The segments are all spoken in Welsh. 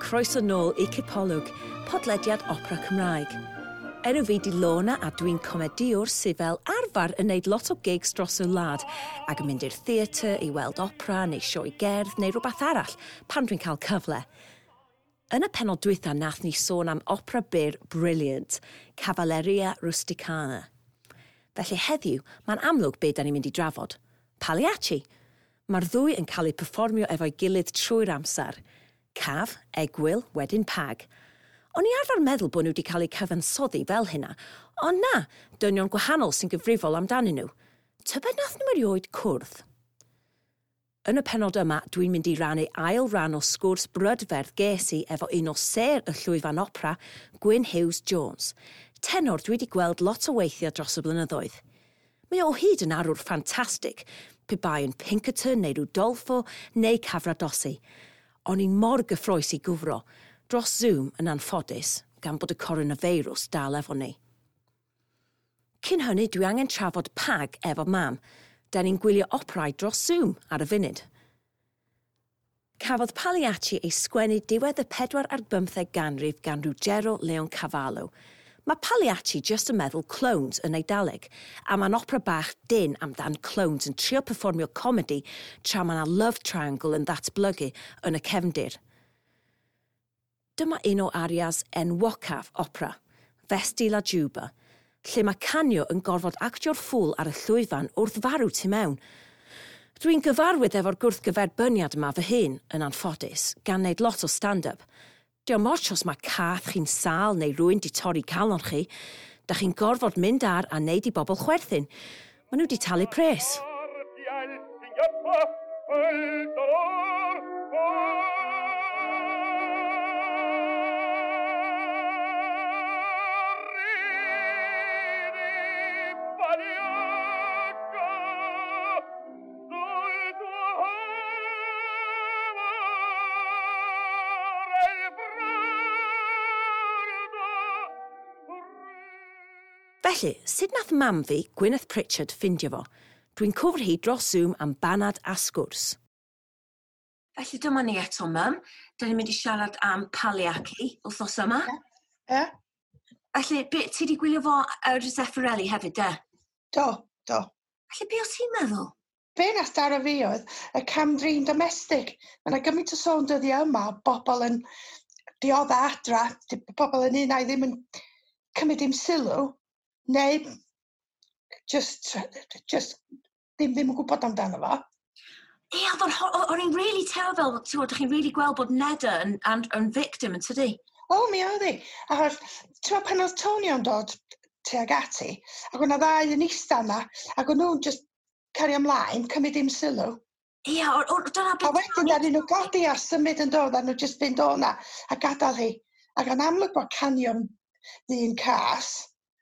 croeso nôl i Cipolwg, podlediad opera Cymraeg. Enw fi di Lorna a dwi'n comediwr sydd fel arfer yn neud lot o gigs dros y wlad ac yn mynd i'r theatr i weld opera neu sioe gerdd neu rhywbeth arall pan dwi'n cael cyfle. Yn y pennod dwytha nath ni sôn am opera byr brilliant, Cavalleria Rusticana. Felly heddiw, mae'n amlwg be da ni'n mynd i drafod. Pagliacci! Mae'r ddwy yn cael eu perfformio efo'i gilydd trwy'r amser. Caf, egwyl, wedyn pag. O'n i arfer meddwl bod nhw wedi cael eu cyfansoddi fel hynna, ond na, dynion gwahanol sy'n gyfrifol amdanyn nhw. Tybed nath nhw erioed cwrdd? Yn y pennod yma, dwi'n mynd i rannu ail ran o sgwrs brydferth ges i efo un o sêr y llwyfan opera, Gwyn Hughes Jones. Tenor dwi wedi gweld lot o weithiau dros y blynyddoedd. Mae o hyd yn arwr ffantastig, pe bai yn Pinkerton neu Rudolfo neu Cavaradossi. O'n i'n mor gyffrous i gwfro, dros Zoom yn anffodus, gan bod y coronafeirws dal efo ni. Cyn hynny, dwi angen trafod pag efo mam. Da ni'n gwylio operau dros Zoom ar y funud. Cafodd Pagliacci ei sgwennu diwedd y 14 ganrif gan Ruggero Leoncavallo. Mae Pagliacci just yn meddwl clowns yn Eidaleg, a mae'n opera bach dyn amdan clowns yn trio perfformio comedi tra mae 'na love triangle yn ddatblygu yn y cefndir. Dyma un o arias enwocaf opera, Vesti la Giubba, lle mae Canio yn gorfod actio'r ffŵl ar y llwyfan wrth farw tu mewn. Dwi'n gyfarwydd efo'r gwrthgyferbyniad yma fy hun, yn anffodus, gan wneud lot o stand-up. Dio'm ots os mae cath chi'n sâl neu rywun 'di torri calon chi, da chi'n gorfod mynd ar a neud i bobl chwerthin. Maen nhw 'di talu pres. Felly, sut nath mam fi, Gwyneth Pritchard, ffindio fo? Dwi'n cwfr hi dros Zoom am banad a sgwrs. Felly dyma ni eto, mam. Da ni'n mynd i siarad am Pagliacci wythnos yma. Ie. Felly, be, ti di gwylio fo ar Zeffirelli hefyd, de? Do, do. Felly, be o ti'n meddwl? Be nath daro fi oedd y cam-drin domestig. Mae yna gymaint o sôn dyddiau yma o bobl yn diodda adra, pobl yn un ai ddim yn cymryd dim sylw, neu just ddim yn gwybod amdano fo. Ie, oedd o'n i'n really teimlo fel, ti'n gwybod, chi'n really gweld bod Nedda yn victim yn tydi? O, mi oedd hi. Achos, ti'n gwybod, pan oedd Tonio'n dod tuag ati, ac o'na ddau yn eista yna, ac o'n nhw'n just cario ymlaen, cymryd dim sylw. Ie, dyna beth... A wedyn, ddaru nhw godi a symud yn dod, a nhw just fynd o na, a gadael hi. Ac yn amlwg bod Canio'n ddyn cas,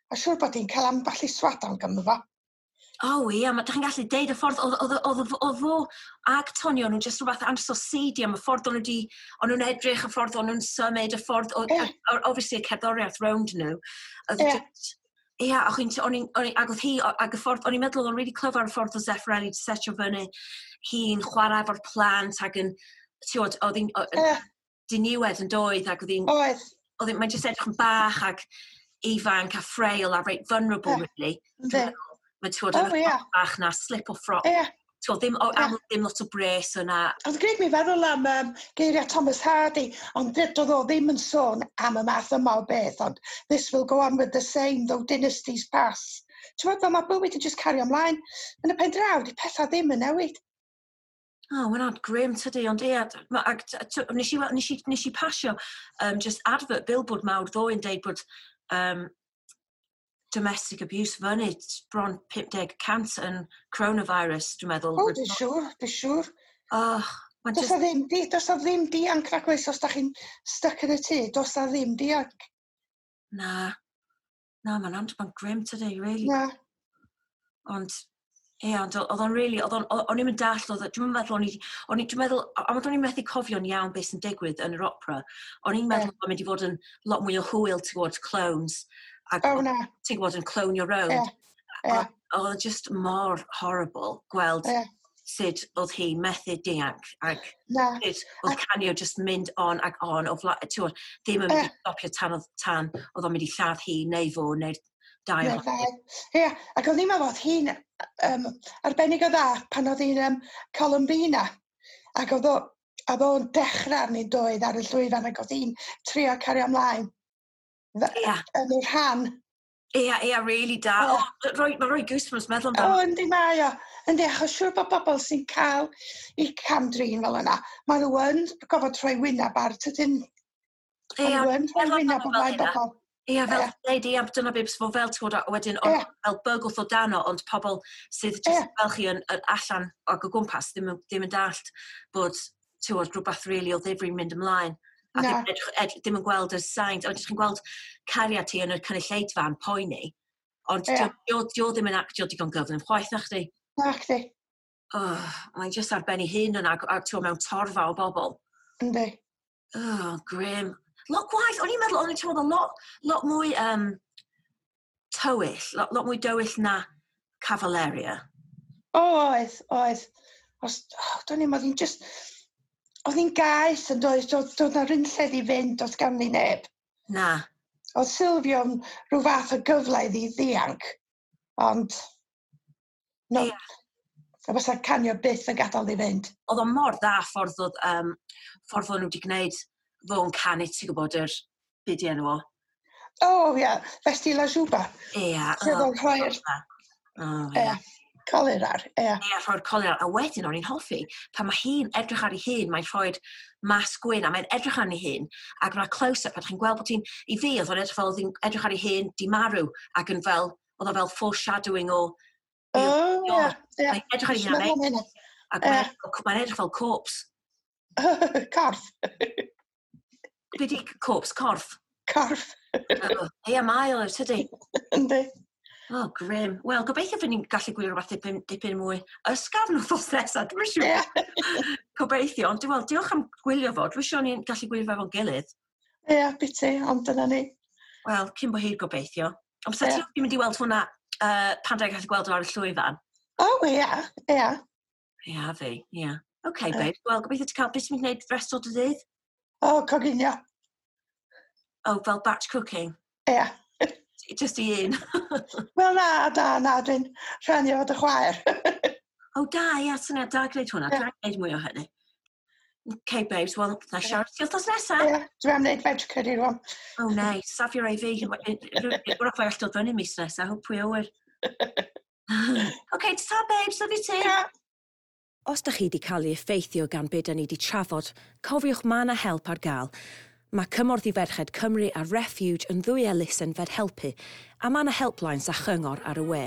a siŵr bod hi'n cael ambell i swadan ganddo fo. O ie, ma' dach chi'n gallu deud y ffordd oedd fo ag Tonio, nhw'n just rhywbeth ansoseidio am y ffordd o'n nhw wedi, o'n nhw'n edrych, y ffordd o'n nhw'n symud, y ffordd, obviously y cerddoriaeth rownd nhw. Ie, ac oedd hi, ac y ffordd, o'n i'n meddwl oedd o'n really clyfar y ffordd o Zeffirelli wedi setio fyny hi'n chwarae efo'r plant ac yn, ti'n gwybod, oedd hi'n diniwed yn doedd, ac oedd hi'n... Oedd. Oedd hi'n, mae'n just edrych yn bach ac ifanc a frail a reit vulnerable, really. Mae'n ti'n gwybod, yn bach na, slip o ffroc. Ti'n gwybod, ddim, amlwg ddim lot o bres yna. Oedd gwneud mi feddwl am geiriau Thomas Hardy, ond doedd o ddim yn sôn am y math yma o beth, ond this will go on with the same, though dynasties pass. Ti'n gwybod, fel mae bywyd yn just cario ymlaen. Yn y pen draw, di pethau ddim yn newid. O, oh, mae'n grim tydi, ond ie, nes i pasio just advert billboard mawr ddoe yn deud bod domestic abuse fyny bron 50% yn coronavirus, dwi'n meddwl. O, dwi'n siŵr, dwi'n siŵr. Oh, does a ddim dianc rhag oes os da chi'n stuck yn y tŷ, does a ddim dianc. Na, na, mae'n grim tydi, really. Na. Ond, ie, ond oedd o'n really, o'n i'n dallt, dwi'n meddwl, dwi'n meddwl, am o'n i'n methu cofio'n iawn beth sy'n digwydd yn yr opera, o'n i'n meddwl bod mynd i fod yn lot mwy o hwyl, ti'n gwybod, clones. Ac ti'n gwybod, yn clonio rownd. Oedd o'n just mor horrible gweld sut oedd hi methu dianc ac Na. sut oedd Canio just mynd on ac on o ti'n ddim yn mynd i stopio tan oedd o'n mynd i lladd hi neu fo neu'r dau Neu'r ddau. Ie, ac oedd hi'n meddwl oedd hi'n arbennig o dda pan oedd hi'n Columbina. Ac oedd o'n dechrau arni'n doedd ar y llwyfan ac oedd hi'n trio cario ymlaen. Yn y rhan. Ia, ia, really da. Ie. O, mae rhoi goosebumps meddwl O, amdano. yndi mae o. Yndi, achos siŵr bod bobl sy'n cael eu cam-drin fel yna, maen nhw yn gofod rhoi wyneb ar, tydyn? Ia, Maen nhw yn rhoi meddwl wyneb amdano o fel flaen hynna. bobl. Ia, fel ti'n deud, ia, dyna beth fo fel, ti'n gwybod, a wedyn, ond fel bygwth o dano, ond pobl sydd just fel chi yn allan ac o gwmpas ddim yn dallt bod, ti'n gwybod, rhywbeth really o ddifri'n mynd ymlaen. A Na. ddim yn gweld y signs, ond chi'n gweld cariad ti yn y cynulleidfa yn poeni, ond dio ddim yn actio digon gyflym chwaith, na chdi? Na chdi. Oh, mae'n just ar ben ei hun yna, a ti'n mewn torfa o bobl. Yndi. Oh, grim. Lot gwaith, o'n i'n meddwl, o'n i'n teimlo lot mwy tywyll, lot mwy dywyll na Cavaleria. O, oedd, oedd. Os, oh, do'n i'n, oedd hi'n just, oedd hi'n gaeth yn doedd, doedd na rynlledd i fynd, doedd ganddi neb. Na. Oedd Silvio'n rhyw fath o gyfle iddi ddianc, ond no, a fysa Canio byth yn gadael i fynd. Oedd o mor dda ffordd oedd, ffordd o'n nhw wedi gwneud fo'n canu, ti'n gwybod, yr byd i enw o. O, ia, Vesti la Juba. Ia. Lle oedd o'n rhoi'r O, ia. Colir ar, ia. Ia, rhoi'r colir ar. A wedyn o'n i'n hoffi, pan mae hi'n edrych ar ei hun, mae'n rhoi'r masg gwyn, a mae'n edrych ar ei hun, ac mae'r close-up, a chi'n gweld bod hi'n, i fi, oedd o'n edrych fel, oedd hi'n edrych ar ei hun, di marw, ac yn fel, oedd o fel foreshadowing o... O, ia, ia. Mae'n edrych ar ei hun, Meddwl am hynna. ac mae'n edrych fel corpse. Corff. Be di corpse? Corff? Corff. Ia, mae o, tydi? Yndi. Oh, grim. Wel, gobeithio fydd ni'n gallu gwylio rhywbeth dipyn mwy ysgafn wythnos nesaf, dwi'n siŵr. Gobeithio, ond diolch am gwylio fo. Dwi'n siŵr ni'n gallu gwylio fo efo'n gilydd. Ie, biti, ond dyna ni. Wel, cyn bo hir gobeithio. Ond sa ti'n mynd i weld hwnna pan da i'n gallu gweld o ar y llwyfan? O, ia, ia. Ia, fi, ia. OK, babe. Wel, gobeithio ti'n cael, beth ti'n mynd i wneud rest o dy ddydd? O, coginio. O, fel batch cooking? Ia. Just i un. Wel, na, na, na, dwi'n rhannu efo dy chwaer. O, da, ia, syniad da gwneud hwnna. Dwi'n gwneud mwy o hynny. OK, babes, wel, na siarad ti wythnos nesaf. Ie, dwi am wneud veg curry rwan. Oh, nice. Safio rai fi. Wrach fe all dod fyny mis nesaf, hope pwy awyr. OK, ta, babes, love you too. Yeah. Os da chi wedi cael ei effeithio gan be da ni wedi trafod, cofiwch ma' 'na help ar gael. Mae Cymorth i Ferched Cymru a Refuge yn ddwy elusen fed helpu, a ma' 'na helplines a chyngor ar y we.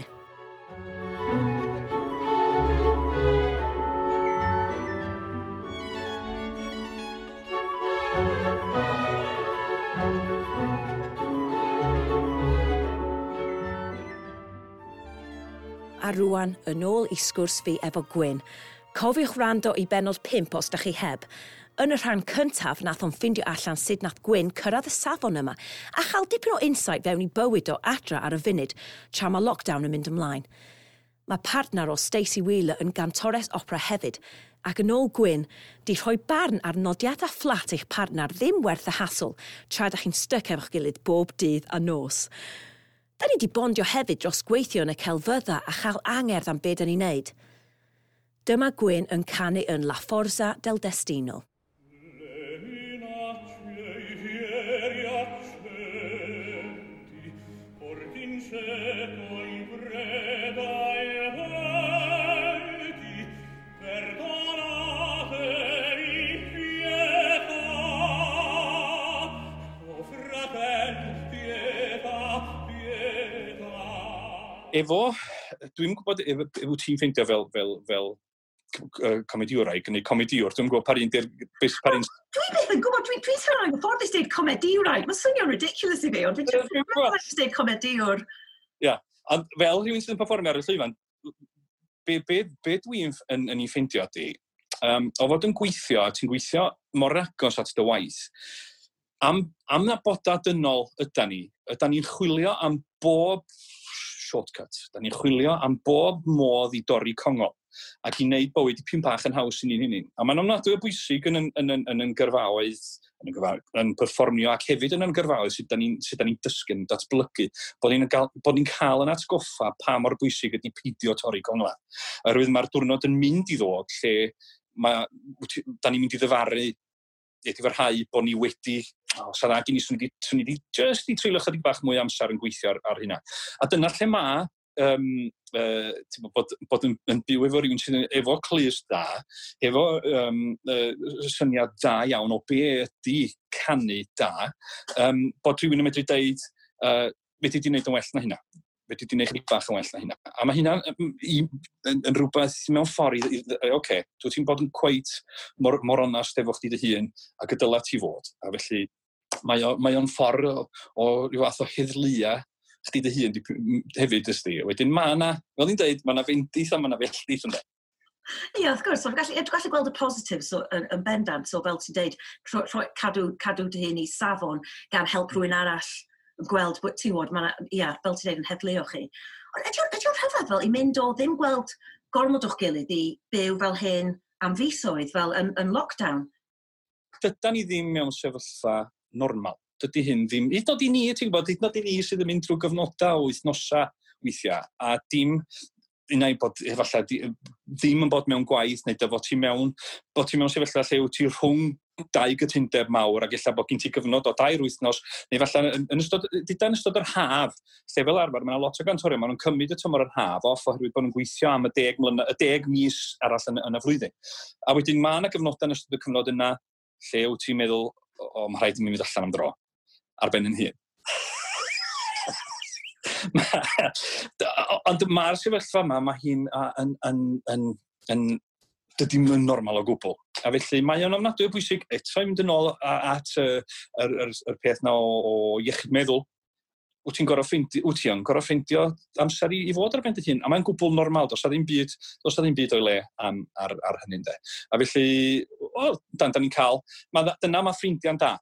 A rwan, yn ôl i sgwrs fi efo Gwyn. Cofiwch wrando i bennod 5 os da chi heb. Yn y rhan cyntaf, nath o'n ffindio allan sut nath Gwyn cyrraedd y safon yma a chael dipyn o insight fewn i bywyd o adra ar y funud tra mae lockdown yn mynd ymlaen. Mae partner o Stacey Wheeler yn gantores opera hefyd, ac yn ôl Gwyn, di rhoi barn ar nodiadau fflat eich partner ddim werth y hassle tra da chi'n styc efo'ch gilydd bob dydd a nos. Da ni di bondio hefyd dros gweithio yn y celfydda a chael angerdd am be da ni'n neud. Dyma Gwyn yn canu yn La Forza del Destino. Efo, dwi'n gwybod efo ti'n ffeindio fel comediwraig neu comediwr, dwi'n gwybod par un di'r... Par un... Dwi byth yn gwybod, dwi'n teimlo'n anghyfforddus deud comediwraig. Mae'n swnio'n ridiculous i fi, ond dwi'n teimlo'n deud comediwr. Ia, ond fel rhywun sydd yn performio ar y llwyfan, be dwi'n yn ei ffeindio ydi, o fod yn gweithio, a ti'n gweithio mor agos at dy waith, am na boda dynol yda ni, yda ni'n chwilio am bob shortcut. Da ni'n chwilio am bob modd i dorri congol. ac i wneud bywyd dipyn bach yn haws i ni'n hunain. A mae'n ofnadwy o bwysig yn gyrfaoedd, yn perfformio ac hefyd yn gyrfaoedd sut da ni'n ni dysgu, yn datblygu, bod ni'n cael yn atgoffa pa mor bwysig ydy peidio torri congla. Oherwydd mae'r diwrnod yn mynd i ddod lle da ni'n mynd i ddyfaru edifarhau bod ni wedi, o, sa dda gen i, swn i wedi just i treulio chydig bach mwy amser yn gweithio ar hynna. A dyna lle mae bod yn byw efo rhywun sydd efo clust da, efo syniad da iawn o be ydy canu da, bod rhywun yn medru deud, fedri di wneud yn well na hynna. Fedri di wneud chydig bach yn well na hynna. A mae hynna yn rhywbeth mewn ffordd oce, dwi ti'n bod yn cweit mor onast efo chdi dy hun ac y dyla ti fod. A felly mae o'n ffordd o ryw fath o heddlua chdi dy hun hefyd, ysdi. Wedyn mae yna, fel ni'n dweud, mae yna fendith a mae yna felldith ynddo. Ie, wrth gwrs, so, gallu gweld y positives so, yn bendant, so fel ti'n dweud, cadw dy hun i safon gan help rhywun arall gweld bod ti'n gwybod, ia, fel ti'n dweud, yn heddluo chi. Ond ydy o'n rhyfedd fel i mynd o ddim gweld gormod o'ch gilydd i byw fel hyn am fisoedd, fel yn lockdown? Dydan ni ddim mewn sefyllfa normal. Dydy hyn ddim, hyd yn oed i ni, ti'n gwybod, hyd yn oed i ni sydd yn mynd drwy gyfnodau o wythnosau weithiau, a dim, unai bod efallai ddim yn bod mewn gwaith, neu dy fod ti mewn, bod ti mewn sefyllfa lle wyt ti rhwng dau gytundeb mawr ac ella bod gen ti gyfnod o 2 wythnos, neu falle yn ystod yr haf, lle fel arfer, mae yna lot o gantorion, maen nhw'n cymryd y tymor yr haf off oherwydd bod nhw'n gweithio am y 10 mis arall yn y flwyddyn. A wedyn mae yna gyfnodau yn ystod y cyfnod yna lle wyt ti'n meddwl, o, mae rhaid i mi fynd allan am dro, ar ben yn hun. Ond mae'r sefyllfa yma, mae hi'n dydy yn normal o gwbl. A felly mae o'n ofnadwy o bwysig eto i mynd yn ôl at yr peth na o iechyd meddwl. Wyt ti'n gorfod ffeindio amser i fod ar ben dy hun. A mae'n gwbl normal, does 'na ddim byd o'i le ar hynny, de. A felly, da ni'n cael, dyna mae ffrindiau'n da.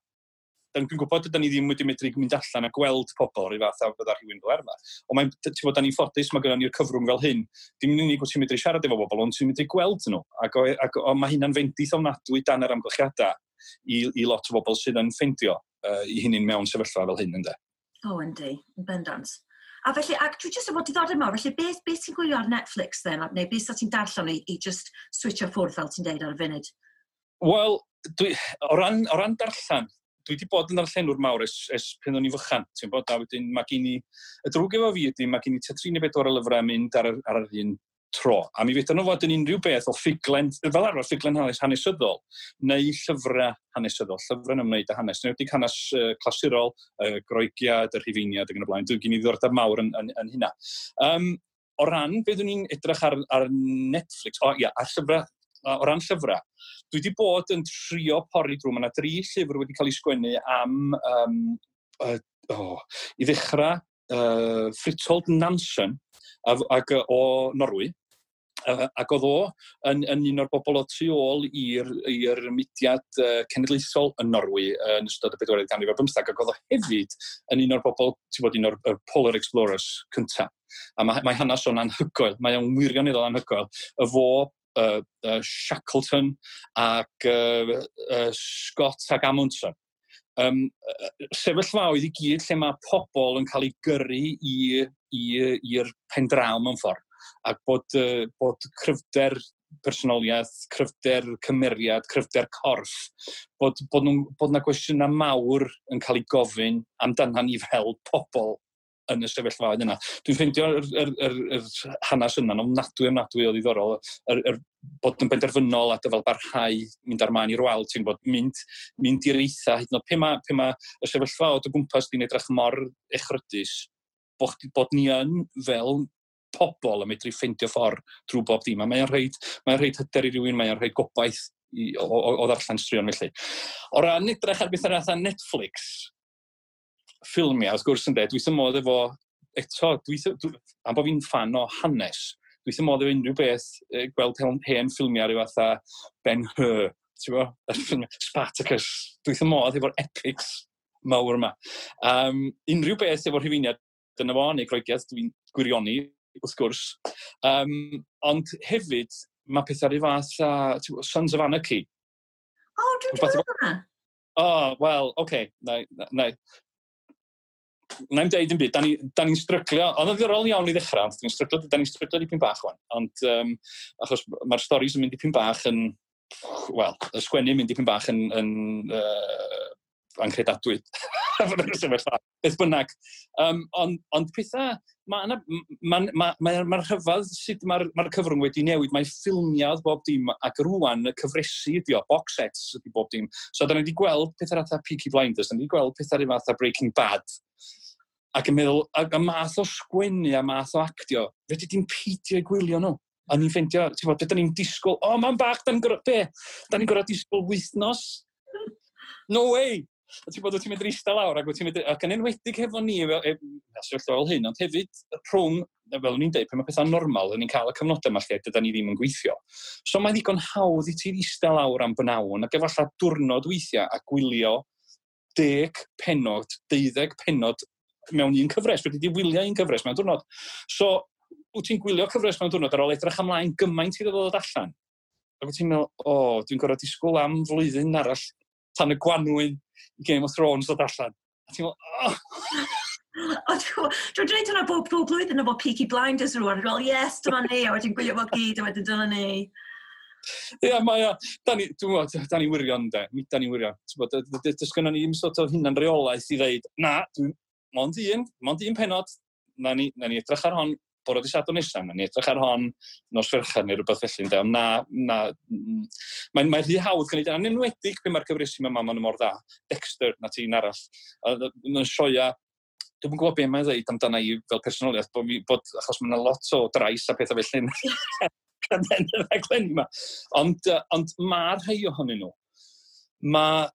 Dwi'n gwybod dydyn ni ddim wedi medru mynd allan a gweld pobl rhyw fath a fydda rhywun fel arfer. Ond mae'n, ti'n bod, da ni'n ffodus, mae gynnon ni'r cyfrwng fel hyn. Dim yn unig wyt ti'n medru siarad efo bobl, ond ti'n medru gweld nhw. Ac mae hynna'n fendith ofnadwy dan yr amgylchiadau i lot o bobl sydd yn ffeindio i hynny'n mewn sefyllfa fel hyn, ynddo. O, yndi, yn bendant. A felly, ac dwi jyst yn bod diddordeb mawr, felly beth ti'n gwylio ar Netflix then, neu beth ti'n darllen i just switcho ffwrdd fel ti'n deud ar y funud? Wel, o ran darllen, dwi wedi bod yn darllenwr mawr ers pan o'n i'n fychan, ti'n bod, a wedyn mae gen i, y drwg efo fi ydy, mae gen i tua 3 neu 4 o lyfrau mynd ar yr un tro. A mi fedran nhw fod yn unrhyw beth o ffuglen, fel arfer ffuglen hanesyddol, neu llyfrau hanesyddol, llyfrau'n ymwneud â hanes, neu hanes clasurol, Groegiad, y Rhufeiniad ac yn y blaen. Dwi'n gen i ddiddordeb mawr yn hynna. O ran, be dwi'n i'n edrych ar Netflix, o ia, ar llyfrau, o ran llyfrau, dwi wedi bod yn trio pori drwy, mae yna 3 llyfr wedi cael eu sgwennu am, i ddechrau, Fridtjof Nansen ac o Norwy, ac oedd o yn un o'r bobl o tu ôl i'r mudiad cenedlaethol yn Norwy yn ystod y 14th ganrif ar bymtheg, ac oedd o hefyd yn un o'r bobl, ti'n bod, un o'r Polar Explorers cyntaf. A mae hanes o'n anhygoel, mae o'n wirioneddol anhygoel. Y fo, Shackleton ac Scott ac Amundsen. Sefyllfaoedd i gyd lle mae pobl yn cael eu gyrru i'r pen draw mewn ffordd, ac bod cryfder personoliaeth, cryfder cymeriad, cryfder corff, bod yna gwestiynau mawr yn cael eu gofyn amdana ni fel pobl yn y sefyllfaoedd yna. Dwi'n ffeindio yr hanes yna'n ofnadwy o ddiddorol, bod yn benderfynol a dyfal barhau mynd ar maen i'r wal, ti'n bod, mynd i'r eitha, hyd yn oed pe ma y sefyllfa o dy gwmpas di'n edrych mor echrydus, bod ni yn fel pobl yn medru ffeindio ffordd drwy bob dim. A mae'n rhaid hyder i rywun, mae'n rhaid gobaith o ddarllen straeon felly. O ran edrych ar beth ar Netflix, ffilmiau, wrth gwrs, ynde, dwi wrth fy modd efo, eto, am bod fi'n ffan o hanes, dwi wrth fy modd efo unrhyw beth, gweld hen ffilmiau rhyw fatha Ben-Hur, ti'n bo? Spartacus, dwi wrth fy modd efo'r epics mawr yma. Unrhyw beth efo'r Rhufeiniad, dyna fo, neu Groegiad, dwi'n gwirioni wrth gwrs. Ond hefyd, mae pethau rhyw fath a Sons of Anarchy. O, oh, dwi'n gwybod hwnna. O, oh, wel, oce. Okay. Na, na i'm deud yn byd, da ni'n ni stryglio, ond yn ddiddorol iawn i ddechrau, ond da ni'n stryglo dipyn bach wan, ond achos mae'r storys yn mynd dipyn bach yn, wel, y sgwennu yn mynd dipyn bach yn anghredadwy. Beth bynnag. Ond pethau, mae ma, ma, ma, ma rhyfedd sut mae'r ma cyfrwng wedi newid. Mae ffilmiau bob dim, ac rwan y cyfresi ydi o, box sets ydi bob dim. So, da ni wedi gweld pethau fatha Peaky Blinders, da ni wedi gweld pethau fatha Breaking Bad. Ac yn meddwl, a math o sgwennu a math o actio, fedri di'n peidio i gwylio nhw. A ni'n ffeindio, ti'n bod, beth da ni'n disgwyl, o, oh, mam bach, da ni'n gorfod, be? Da ni'n gorfod disgwyl wythnos? No way! A ti'n bod, wyt ti'n mynd eistedd lawr, ac wyt ti'n mynd, ac yn enwedig hefo ni, fel, sefyllfa fel hyn, ond hefyd rhwng, fel o'n i'n dweud, pan mae pethau'n normal, yn ni'n cael y cyfnodau yma lle dyda ni ddim yn gweithio. So mae'n ddigon hawdd i ti eistedd lawr am bynawn, ac efallai diwrnod weithiau, a gwylio 10 pennod, 12 pennod mewn un cyfres. Fedri di wylio un cyfres mewn diwrnod. So, wyt ti'n gwylio cyfres mewn diwrnod ar ôl edrych ymlaen gymaint iddo ddod allan. Ac wyt ti'n meddwl, o, oh, dwi'n gorfod disgwyl am flwyddyn arall tan y gwanwyn i Game of Thrones ddod allan. A ti'n meddwl, oh! O, dwi'n dweud hwnna bob blwyddyn efo Peaky Blinders rwan. Dwi'n meddwl, yes, dyma ni, a wedyn gwylio fo gyd, a wedyn dyna ni. Ie, mae o, da ni, dwi'n gwybod, da ni wirion, de, mi da ni wirion. Ti'n gwybod, does gynnon ni ddim sort of hunan reolaeth i ddeud, na, dwi'n, mond un pennod, na ni edrych ar hon bore dydd Sadwrn nesaf, na ni edrych ar hon nos Fercher neu rhywbeth felly, ynde, ond na, na, mae'n rhy hawdd gwneud, yn enwedig pe mae'r cyfresi yma, maen nhw mor dda. Dexter, na ti'n arall. Mae'n sioia, dwi'n gwybod beth mae'n dweud amdana i fel personoliaeth, bod, achos mae'n lot o drais a pethau felly yn y rhaglen yma. Ond mae rhai ohonyn nhw, mae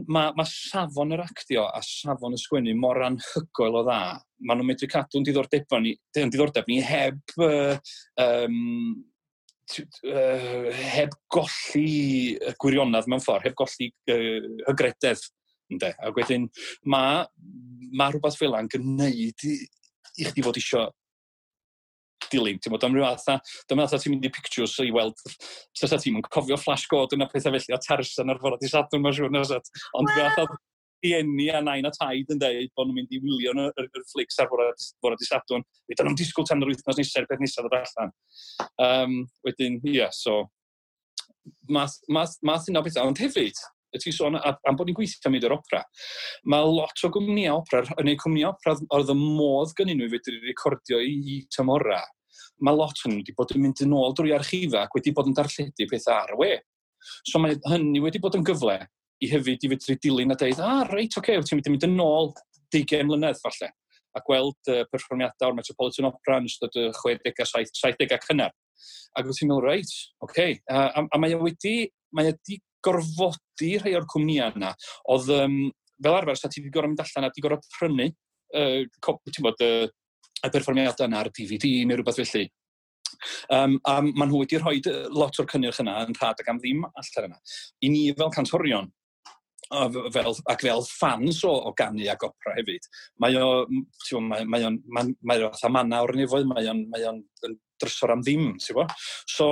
ma safon yr actio a safon y sgwennu mor anhygoel o dda. Maen nhw'n medru cadw'n diddordeb ni heb golli y gwirionedd mewn ffordd, heb golli hygrededd. Ynde? A wedyn, mae rhywbeth fel yna'n gwneud i chdi fod isio dilyn. Ti'n bod, am ryw fath, dyma fatha ti'n mynd i pictures i weld, sa ti'n mynd cofio Flash Gordon a pethau felly, a Tarzan ar fore dydd Sadwrn, mae'n siŵr, na? Ond well, fatha rhieni a nain a taid yn dweud bod nhw'n mynd i wylio yr flicks ar fore dydd Sadwrn. Wedyn nhw'n disgwyl tan yr wythnos nesaf, beth nesaf ddod allan. Wedyn, ie, yeah, so, math yna o bethau. Ond hefyd, y ti sôn am bod ni'n gweithio am i'r opera, mae lot o gwmnïau opera, neu cwmnïau opera oedd y modd gynnyn nhw i fedru recordio i tymora. Mae lot o'n nhw wedi bod yn mynd yn ôl drwy archifa ac wedi bod yn darlledu pethau ar y we. So mae hynny wedi bod yn gyfle i hefyd i fedru dilyn a dweud, ah, reit, oce, okay, ti'n mynd i mynd yn ôl 20 mlynedd falle, a gweld perfformiadau o'r Metropolitan Opera yn ystod y 60au, 70au cynnar. Ac wyt ti'n meddwl, reit, oce. Okay. A mae wedi gorfodi rhai o'r cwmnïau yna. Oedd, fel arfer, sa ti wedi gorfod mynd allan a wedi gorfod prynu, ti'n bod, y perfformiadau yna ar DVD neu rhywbeth felly. A maen nhw wedi rhoi lot o'r cynnyrch yna yn rhad ac am ddim allan yna. I ni fel cantorion, ac fel fans o ganu ac opera hefyd, mae o, ti'n gwbod, mae o fatha manna o'r nefoedd, mae o'n yn drysor am ddim, ti'n gwbod? So,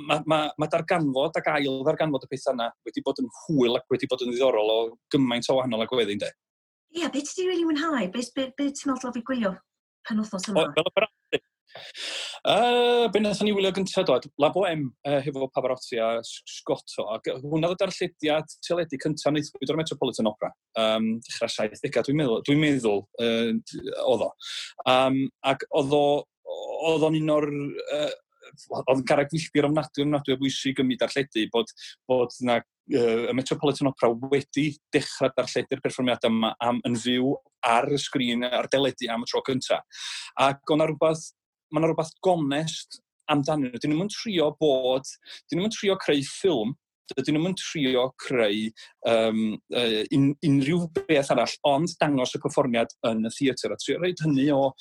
mae darganfod ac ail ddarganfod y pethau yna wedi bod yn hwyl ac wedi bod yn ddiddorol o gymaint o wahanol agweddi, ynde? Ie, yeah, beth ti wedi really mwynhau? Be ti'n meddwl fi gwylio penwythnos yma? O, fel opera? Be wnaethon ni wylio gyntaf dod, La Bohème hefo Pavarotti a Scotto, ac hwnna oedd y darllediad teledu cyntaf wnaethpwyd o'r Metropolitan Opera. Dechrau 70au, dwi'n meddwl, oedd o. Ac oedd o'n un o'r, oedd yn garreg filltir ofnadwy, ofnadwy o bwysig ym myd darlledu, bod na, y Metropolitan Opera wedi dechrau darlledu'r perfformiadau yma yn fyw ar y sgrin, ar deledu am y tro cyntaf. Ac o'na rhywbeth, mae yna rhywbeth gonest amdanyn nhw. Dyn nhw'n trio bod, dyn nhw'n trio creu ffilm, dydyn nhw'n trio creu unrhyw beth arall, ond dangos y perfformiad yn y theatr. A trio rhoid hynny o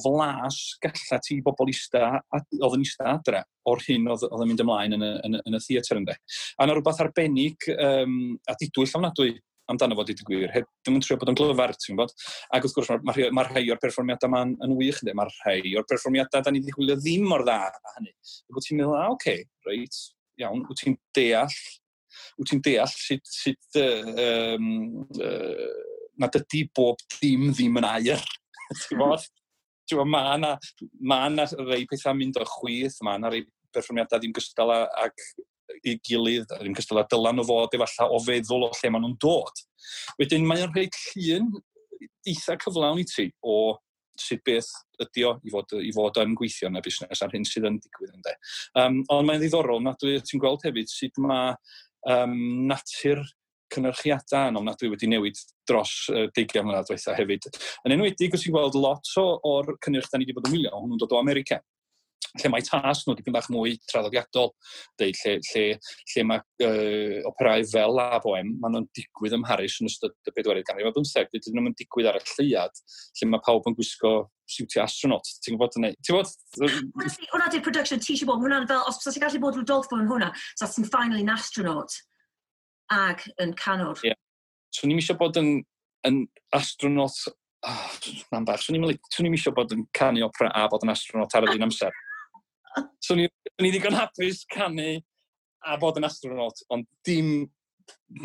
flas galla ti bobl ista, oedd yn ista adre o'r hyn oedd yn mynd ymlaen yn y theatr, ynde. A yna rhywbeth arbennig a didwyll ofnadwy. amdano fo, dweud y gwir. Ddim yn trio bod yn glyfar, ti'n gwybod? Ac wrth gwrs, mae rhai o'r perfformiadau ma'n yn wych, ynddi? Mae rhai o'r perfformiadau da ni wedi gwylio ddim mor dda a hynny. Ac wyt ti'n meddwl, a, oce, okay, reit, iawn, wyt ti'n deall sut nad ydy bob dim ddim yn aur. Ti'n gwybod? Ti'n gwybod, ma na rei pethau mynd o chwith, mae na rei perfformiadau ddim gystal ag i gilydd, ddim gystal â dylan nhw fod efallai o feddwl o lle maen nhw'n dod. Wedyn mae'n rhoi llun eitha cyflawn i ti o sut beth ydy o i fod yn gweithio yn y busnes a'r hyn sydd yn digwydd, ynddo. Ond mae'n ddiddorol na dwi, ti'n gweld hefyd sut mae natur cynyrchiadau yn ofnadwy wedi newid dros 20 mlynedd diwetha hefyd. Yn enwedig os ti'n gweld lot o'r cynnyrch da ni wedi bod yn wylio, hwnnw'n dod o America, lle mae tasg nhw dipyn bach mwy traddodiadol, deud, lle mae operau fel La Bohème, maen nhw'n digwydd ym Mharis yn ystod y bedwaredd ganrif ar bymtheg, dydyn nhw'n digwydd ar y lleuad, lle mae pawb yn gwisgo siwtio astronaut. Ti'n gwybod hynny? Ti'n gwybod? Hwna di'r production ti eisiau bod, hwnna'n fel, os ti'n gallu bod Rodolfo yn hwnna, so ti'n finally an astronaut ag yn canwr. Ie. Yeah. Swn i'n eisiau bod yn astronaut, oh, na'n bach, swn i'n eisiau bod yn canu opera a bod yn astronaut ar yr un amser. Swn i ddigon hapus canu a bod yn astronaut, ond dim.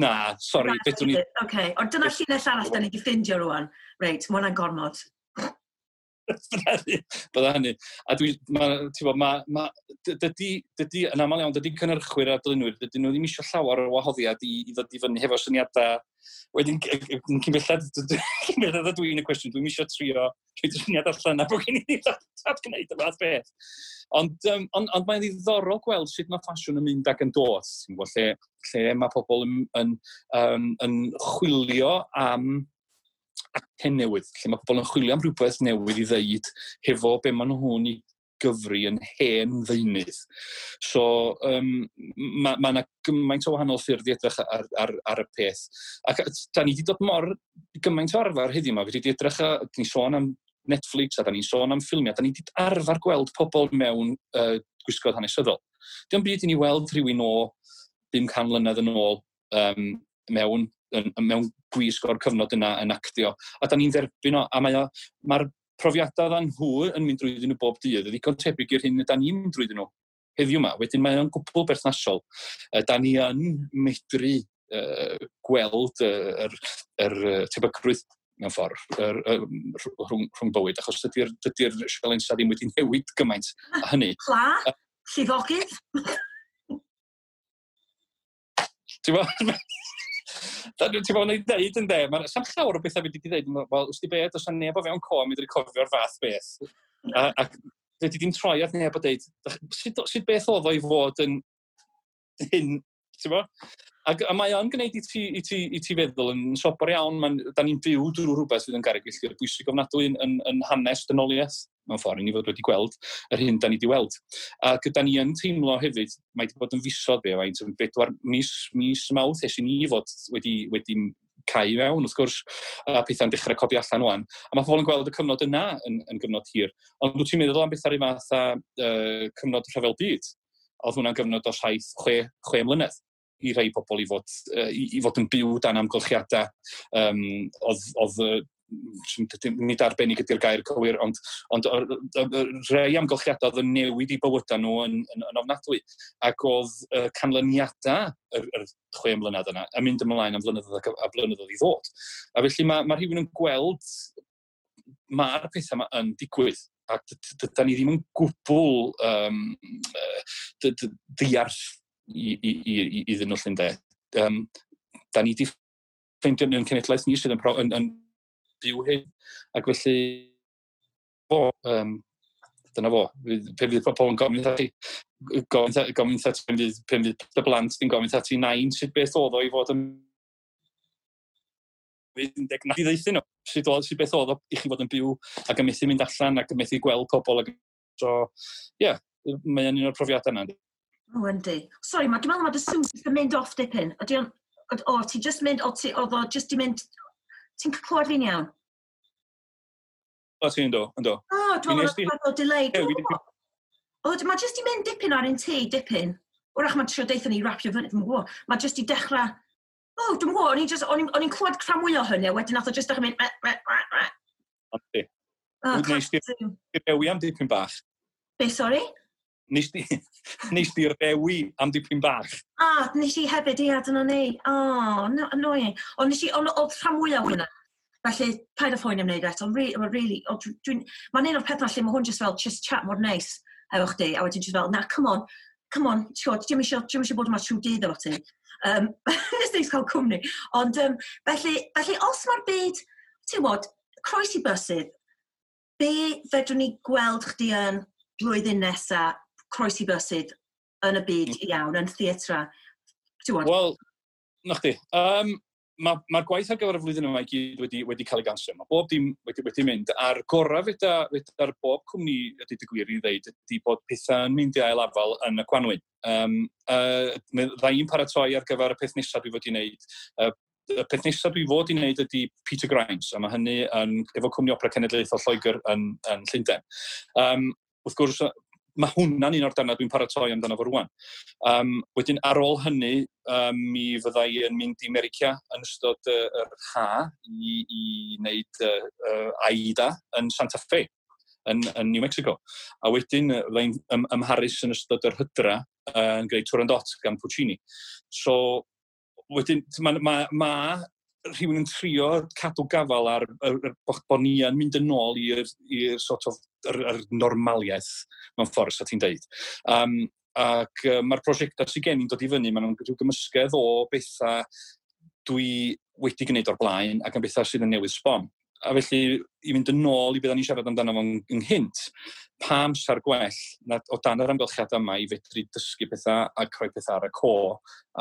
Na, sori, beth dwi'n. Oce, okay. Ond dyna llinell arall da ni wedi ffindio rwan. Reit, mae hwnna'n gormod. Bydda hynny. A dwi, ma, ti'n bod, ma, dydy, dydy, yn aml iawn, dydy cynhyrchwyr a dylunwyr, dydyn nhw ddim eisiau llawer o wahoddiad i ddod i fyny hefo syniadau. Wedyn, cyn belled dwi'n y cwestiwn, dwi'n eisiau trio rhoi syniad allan a bod gen i ddim at gwneud y fath beth. Ond mae'n ddiddorol gweld sut mae ffasiwn yn mynd ac yn dod, ti'n gwybod, lle mae pobl yn chwilio am acen newydd, lle mae pobl yn chwilio am rhywbeth newydd i ddeud hefo be maen nhw'n i gyfri yn hen ddeunydd. So, mae yna gymaint o wahanol ffyrdd i edrych ar y peth. Ac da ni wedi dod mor gymaint o arfer heddiw yma, wedi edrych, a, ni sôn am Netflix a da ni'n sôn am ffilmiau, da ni wedi arfer gweld pobl mewn gwisgoedd hanesyddol. Dim byd i ni weld rhywun o 500 mlynedd yn ôl mewn gwisg o'r cyfnod yna yn actio. A da ni'n dderbyn o, a mae'r profiadau ddan nhw yn mynd drwyddyn nhw bob dydd, yn ddigon tebyg i'r hyn da ni'n mynd drwyddyn nhw heddiw yma. Wedyn mae o'n gwbl berthnasol. Da ni yn medru gweld yr tebygrwydd mewn ffordd rhwng bywyd, achos dydy sialensa ddim wedi newid gymaint a hynny. Pla? Llifogydd? Ti'n bod? Ti'n bod yn dweud yn de, mae'n sam llawer o bethau wedi dweud, wel, wrth i beth, os yna neb o fewn co, mi cofio'r fath beth. A wedi dim troi at neb o dweud, sut beth oedd o i fod yn hyn, ti'n bo? A mae o'n gwneud i ti feddwl yn sobor iawn, da ni'n byw drwy rhywbeth sydd yn garreg filltir bwysig ofnadwy yn hanes dynoliaeth, mewn ffordd, i ni fod wedi gweld yr hyn da ni wedi weld. A gyda ni yn teimlo hefyd, mae wedi bod yn fisoedd be, faint, yn 4 mis, mis Mawrth ers i ni fod wedi cau fewn, wrth gwrs, a pethau'n dechrau codi allan wan. A mae pobl yn gweld y cyfnod yna yn gyfnod hir. Ond wyt ti'n meddwl am bethau rhyw fath a cyfnod rhyfel byd? Oedd hwnna'n gyfnod o 7, 6 mlynedd i rhai pobl i fod yn byw dan amgylchiadau. Oedd, nid arbennig ydy'r gair cywir, ond rhai amgylchiadau oedd yn newid i bywydau nhw yn ofnadwy. Ac oedd canlyniadau yr 6 mlynedd yna yn mynd ymlaen am flynyddoedd a blynyddoedd i ddod. A felly mae rhywun yn gweld mae'r pethau yma yn digwydd. A da ni ddim yn gwbl ddiarth iddyn nhw llun de. Da ni wedi ffeindio yn cenedlaeth ni sydd yn byw hyn. Ac felly, fo, dyna fo. Pe fydd pobl yn gofyn ti, gofyn ti, pen fydd dy blant di'n gofyn ti nain sut beth oedd o i fod yn 19 i ddeithio nhw. Sut beth oedd o i chi fod yn byw ac yn methu mynd allan ac yn methu gweld pobl. Ac, so, ie, yeah, mae'n un o'r profiadau yna. O, yndi. Sorry, dwi'n meddwl mae dy sŵn jyst yn mynd off dipyn. Ydy o'n... O, ti just mynd, o, ti, oedd o just i mynd. Ti'n clywed fi'n iawn? O, ti'n do, ynddo. O, dwi'n meddwl bod o delay. O, mae just i mynd dipyn ar un ti, dipyn. Wrach mae'n trio deithio ni rapio fyny, dwi'n gwybod. Mae just i dechrau. O, oh, dwi'n gwybod, o'n i'n clywed rhan mwy o hynny, a wedyn nath o just dechrau mynd... Yndi. Nes di rewi am dipyn bach. Be, sori? Nes di rewi am dipyn bach. Ah, nes i hefyd, ia, dyna ni. Oh, no, annoying. Ond nes i, ond oedd rhan mwyaf hwnna. Felly, paid â phoeni am wneud eto. Ond really, mae'n un o'r pethau lle mae hwn just fel, just chat mor neis efo chdi, a wedyn just fel, na, come on, come on, ti'n dwi'm eisiau bod yma trwy dydd efo ti. Nes neis cael cwmni. Ond, felly, os mae'r byd, ti'n gwybod, croesi bysydd, be fedrwn ni gweld chdi yn blwyddyn nesa, croesi bysydd yn y byd iawn, yn theatra? Wel, na chdi. Mae'r ma gwaith ar gyfer y flwyddyn yma i gyd wedi cael ei ganslo. Mae bob dim wedi mynd. A'r gorau feda'r bob cwmni ydy dy gwir i ddeud ydy bod pethau yn mynd i ail afal yn y gwanwyn. Fydda i'n paratoi ar gyfer y peth nesaf dwi fod i wneud. Y peth nesaf dwi fod i wneud ydy Peter Grimes, a mae hynny yn, efo Cwmni Opera Cenedlaethol Lloegr yn Llundain. Wrth gwrs, mae hwnna'n un o'r darnau dwi'n paratoi amdano fo rwan. Wedyn, ar ôl hynny, mi fydda i yn mynd i America yn ystod yr ha i wneud Aida yn Santa Fe, yn New Mexico. A wedyn, fydda i'n ym Mharis yn ystod yr hydra yn gwneud Turandot gan Puccini. So, wedyn, mae ma rhywun yn trio cadw gafal ar bod ni yn mynd yn ôl i'r sort of yr normaliaeth mewn ffordd, sa ti'n deud. Ac mae'r prosiectau sydd gen i'n dod i fyny, maen nhw'n rhyw gymysgedd o bethau dwi wedi gwneud o'r blaen ac yn bethau sydd yn newydd sbon. A felly, i fynd yn ôl i beth ni'n siarad amdano fo'n ynghynt, pa amser gwell na, o dan yr amgylchiadau yma i fedru dysgu pethau a rhoi pethau ar y co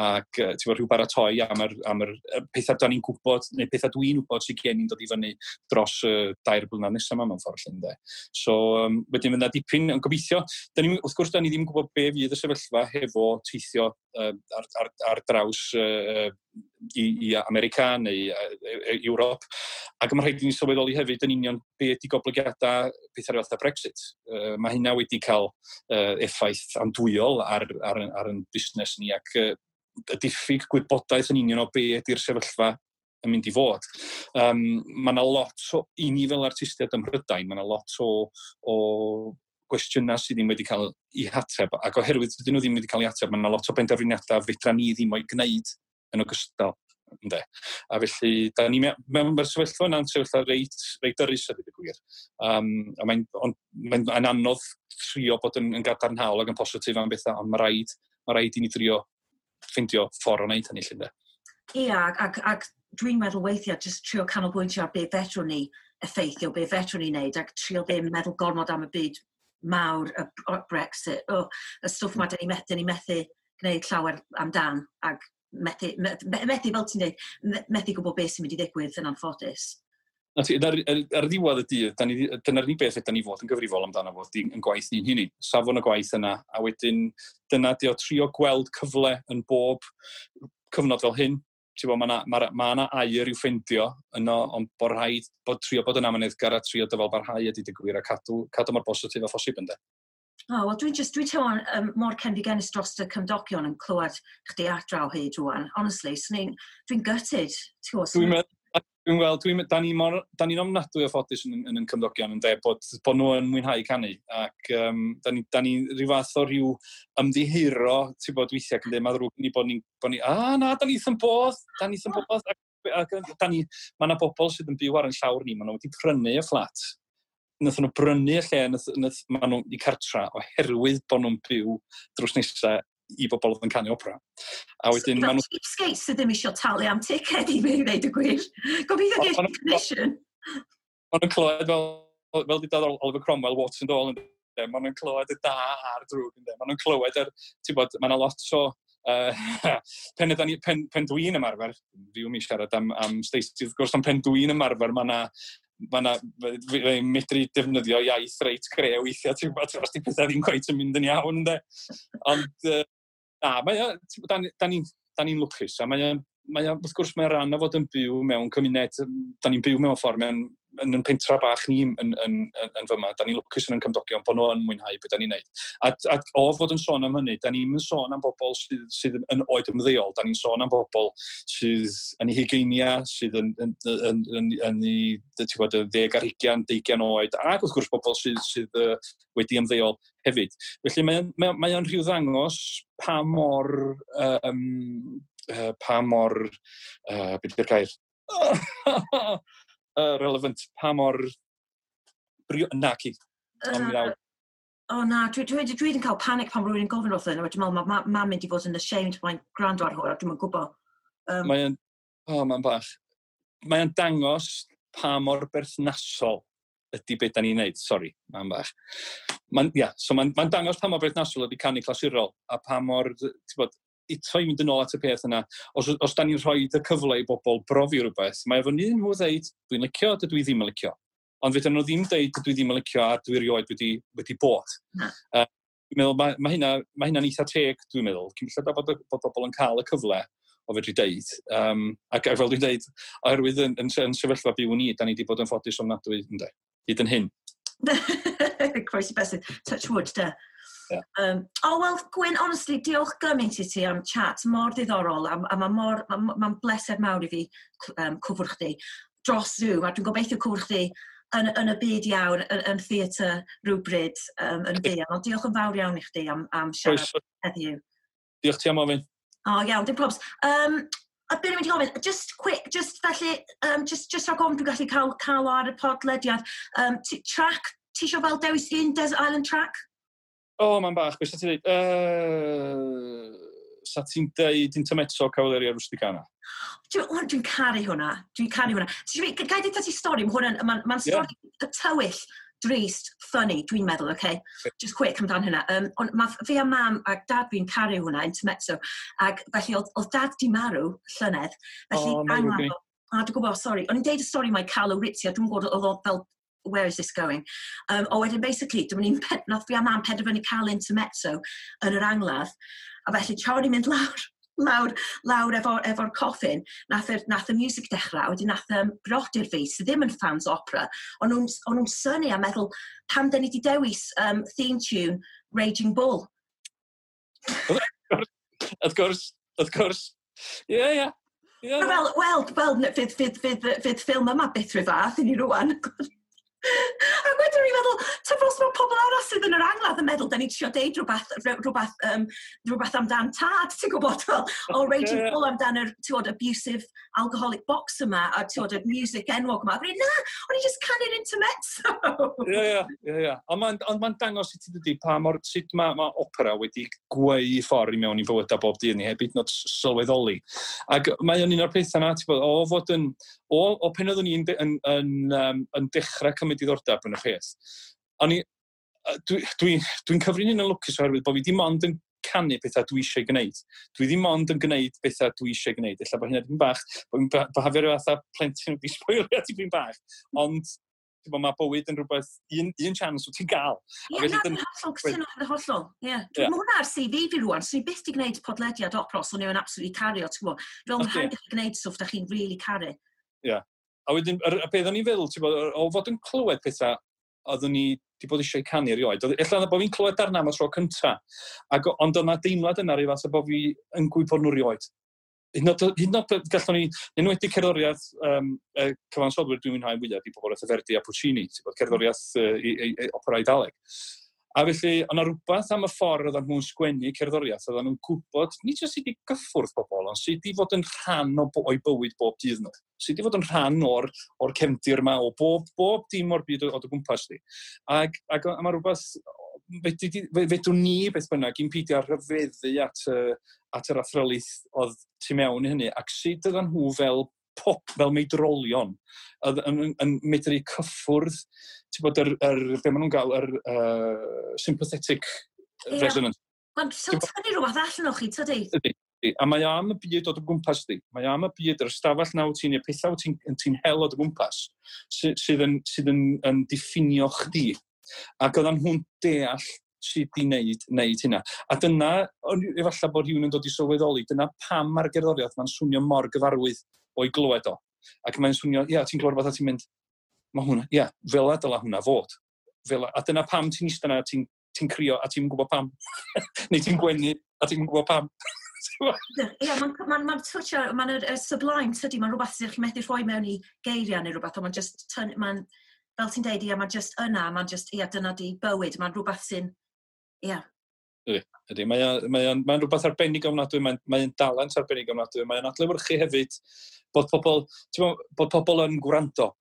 ac ti'n gwbod, rhyw baratoi am yr pethau da ni'n gwybod, neu pethau dwi'n gwybod sydd gen i'n dod i fyny dros y 2 blynedd nesaf yma mewn ffordd lle, ynde. So, wedyn fydd 'na dipyn yn gobeithio. Da ni, wrth gwrs, da ni ddim yn gwybod be fydd y sefyllfa hefo teithio ar draws i America neu Ewrop. Ac mae rhaid i ni sylweddoli hefyd yn union be ydy goblygiadau pethau fatha Brexit. Mae hynna wedi cael effaith andwyol ar ein busnes ni ac y diffyg gwybodaeth yn union o be ydy'r sefyllfa yn mynd i fod. Mae yna lot o, i ni fel artistiaid ym Mhrydain, mae yna lot o gwestiynau sydd ddim wedi cael eu hateb, ac oherwydd dydyn nhw ddim wedi cael eu hateb, mae yna lot o benderfyniadau fedra ni ddim o'i gwneud yn ogystal. Ynde. A felly, da ni mewn mae'r sefyllfa yna'n sefyllfa reit dyrys a dweud y gwir. A mae'n anodd trio bod yn gadarnhaol ac yn positif am bethau, ond mae rhaid i ni drio ffeindio ffordd o wneud hynny, lle, ynde. Ia, ac dwi'n meddwl weithiau jyst trio canolbwyntio ar be fedrwn ni effeithio, be fedrwn ni wneud, ac trio ddim meddwl gormod am y byd mawr, y Brexit, oh, y stwff ma dyn ni methu gwneud llawer amdan, ac methu, fel ti'n dweud, methu gwybod beth sy'n mynd i ddigwydd yn anffodus. Na ti, ar ddiwedd y dydd, dyna'r unig beth ydy ni fod yn gyfrifol amdano fo, yn gwaith ni'n hunain. Safon y gwaith yna, a wedyn dyna di o trio gweld cyfle yn bob cyfnod fel hyn. Ti'n gwbod, mae yna ma aur i'w ffeindio yno, ond bod rhaid bod trio bod yn amyneddgar a trio dyfal barhau ydy dy gwir a cadw mor bositif a phosib, ynde. Oh, wel, dwi'n teimlo'n mor cenfigennus dros y cymdogion yn clywed chdi adra o hyd rwan. Honestly, dwi'n gutted. Ti'n gwbod, Dwi'n wel, da ni'n ofnadwy o ffodus yn cymdogion yn dweud bod nhw yn mwynhau canu ac da ni rhyw fath o rhyw ymddiheuro, ti'n bod, weithiau ac yn dweud, mae ddrwg ni bod ni, a na, da ni wrth yn bodd, da ni wrth yn bodd, ac da ni, mae yna bobl sydd yn byw ar yn llawr ni, maen nhw wedi prynu y fflat. Nath nhw brynu y lle, nath, maen nhw i cartra oherwydd bod nhw'n byw drws nesaf i bobl oedd yn canu opera. A wedyn, so, maen nhw cheapskates sydd ddim eisiau talu am ticed i fi, i ddeud y gwir. Gobeithio geis commission. Maen nhw'n clywed fel di dod Oliver Cromwell, warts and all, ynde. Maen nhw'n clywed y da a'r drwg, ynde. Maen nhw'n clywed yr, ti'n bod, mae yna lot o pen dwi'n ymarfer, fiw mi siarad am Stacey, wrth gwrs, ond pen dwi'n ymarfer, mae yna, medru defnyddio iaith reit gre weithiau, ti'n gwybod, os di pethau ddim cweit yn mynd yn iawn, ynde. Ond, na, mae o, ti'n gwbod, da ni lwcus, a mae o, wrth gwrs, mae'n rhan o fod yn byw mewn cymuned, da ni'n byw mewn ffordd mewn yn pentra bach ni yn fyma, da ni'n lwcus yn cymdogion bod nhw yn mwynhau beth da ni'n neud. A o fod yn sôn am hynny, da ni'n sôn am bobl sydd yn oed ymddeol, da ni'n sôn am bobl sydd yn eu hugeinia, sydd yn eu, ti'n gwybod, 10 ar 20, 20 oed, ac wrth gwrs bobl sydd wedi ymddeol hefyd. Felly mae o'n rhyw ddangos pa mor, beth yw'r gair? Relevant, pa mor na, ci. Ond mi ddaw. O na, dwi wedi cael panic pan rwy'n gofyn wrth hyn, a dwi'n meddwl mae mam mynd i fod yn ashamed mae'n gwrando ar hwn, a dwi'n gwybod. Mae'n, oh, mae'n bach. Mae'n dangos pa mor berthnasol ydy beth da ni'n neud. Sori, mae'n bach. Mae'n, ia, so mae'n dangos pa mor berthnasol ydy canu clasurol, a pa mor, ti'n bod, eto i fynd yn ôl at y peth yna, os da ni'n rhoi y cyfle i bobl brofi rhywbeth, mae efo nhw ddeud, "Dwi'n licio, dydw i ddim yn licio." Ond fedrwn nhw ddim deud, "Dydw i ddim yn licio a dwi erioed wedi bod." Na. Dwi'n meddwl, mae hynna'n eitha teg, dwi'n meddwl. Cyn belled bod bobl yn cael y cyfle o fedru deud. Ac fel dwi'n deud, oherwydd yn sefyllfa byw ni, da ni wedi bod yn ffodus ofnadwy, ynde, hyd yn hyn. Croesi bysedd, touch wood, de. Yeah. Oh, well, Gwyn, honestly, diolch gymaint i ti am chat mor ddiddorol, a mae mor, ma bleser mawr i fi cwfwrdd chdi dros Zoom, a dwi'n gobeithio cwfwrdd chdi yn y byd iawn, yn theatr rhywbryd yn fuan. Ond diolch yn fawr iawn i chdi am siarad Croeso. heddiw. Diolch ti am ofyn. O, oh, iawn, dim probs. A beth ni'n mynd i gofyn, just quick, just felly, just rhag ofn dwi'n gallu cael o ar y podlediad, track, ti eisiau fel dewis un Desert Island track? O, oh, mae'n bach. Beth sa ti'n dweud? Sa ti'n deud Intermezzo Cavalleria Rusticana? Dwi'n caru hwnna. Dwi'n caru hwnna. Gai dweud ti stori? Mae hwnna'n, ma stori tywyll, drist, funny, dwi'n meddwl, okay? Just quick amdan hynna. Ond ma fi a mam a dad fi'n caru hwnna, Intermezzo. Ac felly oedd dad di marw llynedd. Felly O, mae'n angladd ddrwg gen i. A dwi'n gwybod, sorry. O'n i'n deud y stori mae Carlo Rizzi, a dwi'n gwybod oedd o fel, "Where is this going?" O wedyn, basically, dyma ni'n, nath fi a mam penderfynu cael Intermezzo yn yr angladd. A felly, tra o'n i'n mynd lawr efo coffin, nath y music dechrau, a wedyn nath brodyr fi, sydd ddim yn fans opera, o'n nhw'n synnu a meddwl, pam dyn ni wedi dewis theme tune Raging Bull? Wrth gwrs, wrth gwrs. Ie. Ie. Wel, fydd ffilm yma byth rhyw fath i ni rwan. Ac wedyn ni'n meddwl, ta os mae pobl arall sydd yn yr angladd yn meddwl, da ni'n trio deud rhywbeth amdan tad, ti'n gwybod, fel, o Raging Bull amdan yr, ti'n gwybod, abusive alcoholic box yma, a ti'n gwybod, y music enwog yma. A na, o'n i just canu'r Intermezzo. Ie. Ond mae'n ma dangos i ti dydy pa mor, sut mae opera wedi gweu ffordd i mewn i fywydau bob dydd ni, heb hyd yn oed sylweddoli. Ac mae o'n un o'r pethau yna, ti'n gwbod, o fod yn, o pen oeddwn i'n yn dechrau cymryd diddordeb yn y peth, o'n i, dwi cyfri'n un yn lwcus oherwydd bod fi dim ond yn canu pethau dwi eisiau gwneud. Dwi ddim ond yn gwneud pethau dwi eisiau gwneud. Ella bod hynna dipyn bach, bod fi'n byhafio rhyw fath o plentyn wedi sboilio tipyn bach. Ond ti'n gwbod, mae bywyd yn rhywbeth, un chance wyt ti'n gael. Ie, A felly na, dwi'n hollol cytuno, yn hollol. Ie. Mae hwnna ar CV fi rwan, so ni byth di gwneud podlediad opera, so ni'n absolutely caru o, ti'n gwybod. Dwi'n meddwl, Ydi. rhaid i chi gwneud stwff da chi'n really caru. Ie. A wedyn, y peth o'n i'n feddwl, ti'n bod, o fod yn clywed pethau oeddwn ni wedi bod eisiau canu erioed. Ella bod fi'n clywed darna am y tro cynta, ond oedd 'na deimlad yna rhyw fath o bod fi yn gwybod nhw erioed. Hyd yn oed gallwn ni, enwedig cerddoriaeth y cyfansoddwyr dwi'n mwynhau fwyaf di pobl fatha Verdi a Puccini, ti'n bod, cerddoriaeth i opera Eidaleg. A felly, oedd 'na rhywbeth am y ffordd oedden nhw'n sgwennu cerddoriaeth, oedden nhw'n gwybod, nid jyst sut i gyffwrdd pobl, ond sut i fod yn rhan o'i bywyd bob dydd nhw. Sut i fod yn rhan o'r cefndir yma, o bob dim o'r byd o dy gwmpas di. Ac mae rhywbeth, fedrwn ni beth bynnag, i'n peidio â rhyfeddu at yr athrylith oedd tu mewn i hynny, ac sut oedden nhw fel pop, fel meidrolion, oedd yn medru cyffwrdd, ti'n bod, be maen nhw'n gael, yr sympathetic resonance. Mae'n so tynnu rhywbeth allan o chi, tydi? Ydy. A mae o am y byd o dy gwmpas di. Mae o am y byd, yr ystafell na wyt ti'n, y pethau wyt ti hel o dy gwmpas, sydd yn diffinio chdi. Ac oedden nhw'n deall sut i wneud hynna. A dyna, efallai bod rhywun yn dod i sylweddoli, dyna pam mae'r gerddoriaeth mae'n swnio mor gyfarwydd o'i glywed o. Ac mae'n swnio, ia, ti'n clywed rhywbeth a ti'n mynd, Mae hwnna, ia, yeah, fel a dyla hwnna fod. Fel a dyna pam ti'n eistedd yna, ti'n ti crio a ti'n gwybod pam. Neu ti'n gwenu a ti'n gwybod pam. Ie, mae'n ma, ma touch, mae'n y sublime, tydi, mae'n rhywbeth sydd chi'n methu rhoi mewn i geiriau neu rhywbeth, ond mae'n just, mae'n, fel ti'n deud, ia, mae'n just yna, mae'n just, ia, dyna di bywyd, mae'n rhywbeth sy'n, ia. Ydy, ydy. Mae'n mae mae rhywbeth arbennig ofnadwy, mae'n mae dalent arbennig ofnadwy, mae'n adlewyrchu hefyd bod pobl, bod pobl yn gwrando,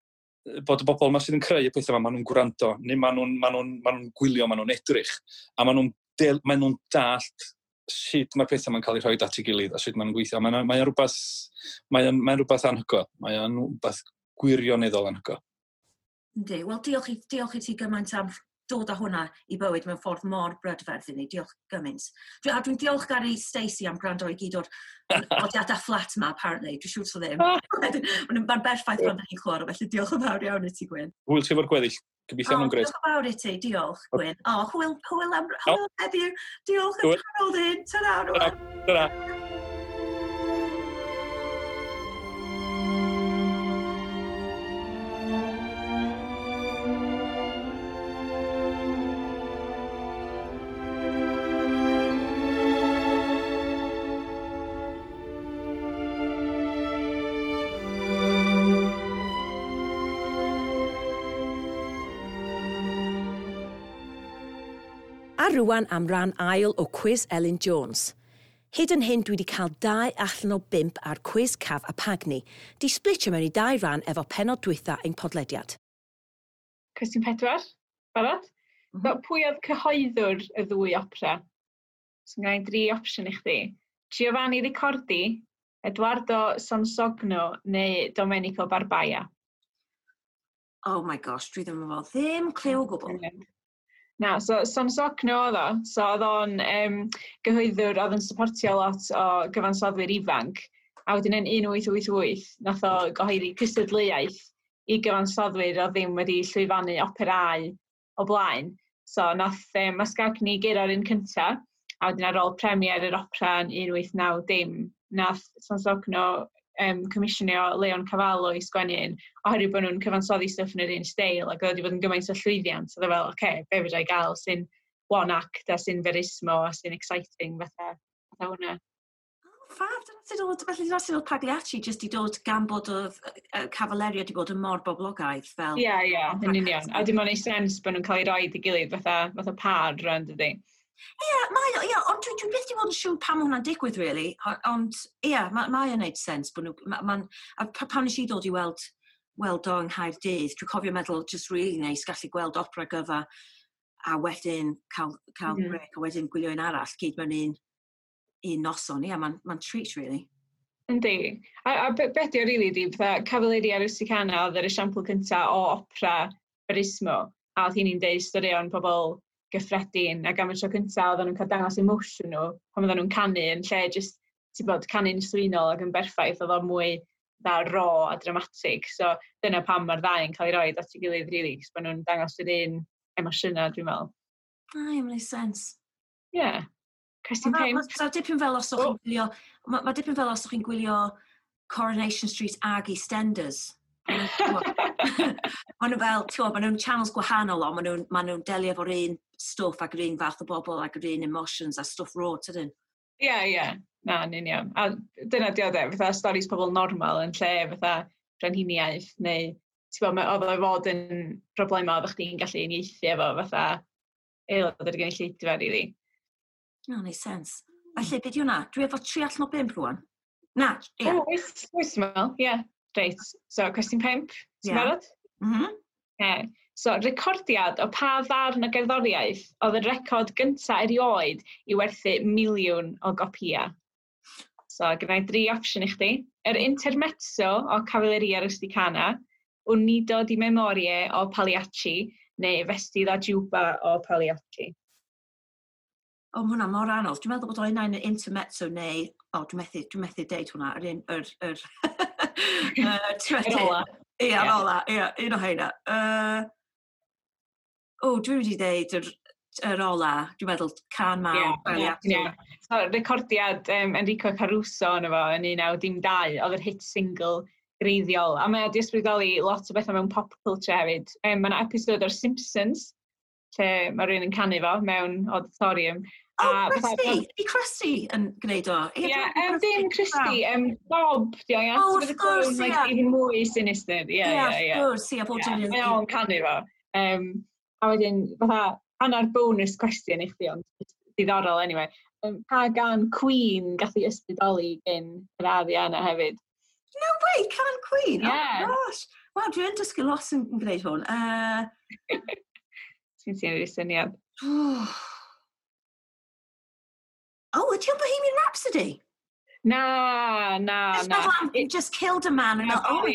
bod y bobl yma sydd yn creu y pethau yma, maen nhw'n gwrando, neu maen nhw'n ma nhw, ma nhw gwylio, maen nhw'n edrych, a maen nhw'n ma nhw dallt sut mae'r pethau yma'n cael eu rhoi at ei gilydd a sut maen nhw'n gweithio. Mae'n mae rhywbeth, mae'n mae rhywbeth anhygoel. Mae'n rhywbeth gwirioneddol anhygoel. Yndi. Wel, diolch i, diolch i ti gymaint am dod â hwnna i bywyd mewn ffordd mor brydferth i ni. Diolch gymaint. A dwi'n diolchgar i Stacey am gwrando i gyd o'r nodiadau fflat ma, apparently. Dwi'n siŵr so ddim. Mae'n berffaith pan da ni'n clywed, felly diolch yn fawr iawn i ti, Gwyn. Hwyl ti efo'r gweddill. Gobeithio nhw'n grêt. Diolch yn fawr i ti, diolch, Gwyn. O, hwyl, hwyl am, hwyl heddiw. Diolch yn canol hyn. Ta-ra, rwan. Ta-ra. A rwan am ran ail o Cwis Elin Jones. Hyd yn hyn dwi wedi cael 2 allan o 5 ar Cwis Caf a Pagni, di splitio mewn i 2 ran efo penod dwytha ein podlediad. Cwestiwn 4, barod? Mm -hmm. Pwy oedd cyhoeddwr y ddwy opera? So, gen i 3 opsiwn i chdi. Giovanni Ricordi, Eduardo Sonsogno neu Domenico Barbaia? Oh my gosh, dwi ddim yn fawr. Ddim cliw o gwbl. Na, so Sonsogno oedd o. So oedd o'n gyhoeddwr oedd yn supportio lot o gyfansoddwyr ifanc. A wedyn yn 1888, nath o gyhoeddi cystadleuaeth i gyfansoddwyr oedd ddim wedi llwyfannu operau o blaen. So nath Mascagni guro'r un cynta, a wedyn ar ôl premier yr opera yn 1890, nath Sonsogno comisiynio Leon Cavallo i sgwennu un, oherwydd bod nhw'n cyfansoddi stwff yn yr un steil, ac oedd wedi bod yn gymaint o llwyddiant. Oedd o fel, oce, okay, be fedra i gael sy'n one act a sy'n verismo a sy'n exciting fatha hwnna. Oh, fab, dyna sydd oedd, felly dyna sydd oedd Pagliacci jyst i dod gan bod oedd Cavalleria wedi bod yn mor boblogaidd fel... Ie, ie, yn union. A dim ond ei sens bod nhw'n cael ei roed i gilydd fatha par rwan, dydy. Ie, mae o, ie, ond dwi byth 'di bod yn siŵr pam hwnna'n digwydd, really. Ond, ie, mae o'n neud sens bod nhw... A pan nes i ddod i weld o yng Nghaerdydd, dwi'n cofio meddwl, just really nice gallu gweld opera gyfa a wedyn cael break, a wedyn gwylio un arall, gyd mewn un noson. Ie, mae'n treat, really. Yndi. A be di o, really, di, fatha Cavalleria Rusticana oedd yr esiampl cynta o opera verismo, a oedd hi'n deud straeon pobl gyffredin, ac am y tro cyntaf oedden nhw'n cael dangos emotion nhw pan oedden nhw'n canu yn lle just, ti'n bod, canu'n swynol ac yn berffaith, oedd o mwy dda raw a dramatic. So dyna pam mae'r ddau yn cael ei roed at ei gilydd, really, cos maen nhw'n dangos yr un emosiynau, dwi'n meddwl. Ai, mae'n neud sens. Ie. Yeah. Cwestiwn 5. Mae dipyn fel os o'ch chi'n gwylio, mae dipyn fel os o'ch chi'n gwylio Coronation Street ag EastEnders. Maen nhw fel, ti'n maen nhw'n channels gwahanol, ond maen nhw'n delio efo'r un stwff ac yr un fath o bobl ac yr un emotions a stwff raw, tydyn? Ie, ie. Na, yn union. A dyna di o de, fatha stories pobl normal yn lle fatha brenhiniaeth, neu ti'n bod, oedd o fod yn problemau oeddech chdi'n gallu uniaethu efo fatha aelod o'r gynulleidfa, really. No, neud sens. Felly, be di hwnna? Dwi efo 3 allan o 5 rwan. Na, ie. O, wyth, meddwl, ie. Reit, so cwestiwn 5, ti'n barod? Mm-hmm. Yeah. So, recordiad o pa ddarn o gerddoriaeth oedd y record gyntaf erioed i werthu 1,000,000 o gopïau? So, gynna i 3 opsiwn i chdi. Yr Intermezzo o Cavalleria Rusticana, Un Nido di Memorie o Pagliacci, neu Vesti la Giuba o Pagliacci. O, mae hwnna mor anodd. Dwi'n meddwl bod o'n un Intermezzo neu... O, dwi'n methu deud hwnna. Yr un... Yr ola. Ie, yr ola. Ie, un o heina. O, dwi wedi deud yr ola. Dwi'n meddwl can mawr. Ie, ie. So, recordiad Enrico Caruso yno fo yn 1912, oedd yr hit single greiddiol. A mae o 'di ysbrydoli lot o bethau mewn pop culture hefyd. Mae yna episode o'r Simpsons, lle mae rhywun yn canu fo mewn auditorium. Oh, Krusty! Ydy Krusty yn gwneud o? Ie, yeah, dim Krusty, Bob, di o, ia? Oh, of course, ie. Like, even mwy sinister, ie, ie, ie. Of course, ie, bob dim. Mae o'n canu fo. A wedyn, fatha, hanner bonus cwestiwn i chdi, ond diddorol anyway. Pa gân Queen gath ei ysbrydoli gen yr aria yna hefyd? No way, cân Queen? Yeah. Oh, gosh. Wel, dwi'n dysgu lot yn gwneud hwn. Ti'n ti'n rhoi syniad. Oh, ydy o'n Bohemian Rhapsody? Na, na, na. It just killed a man. And oh,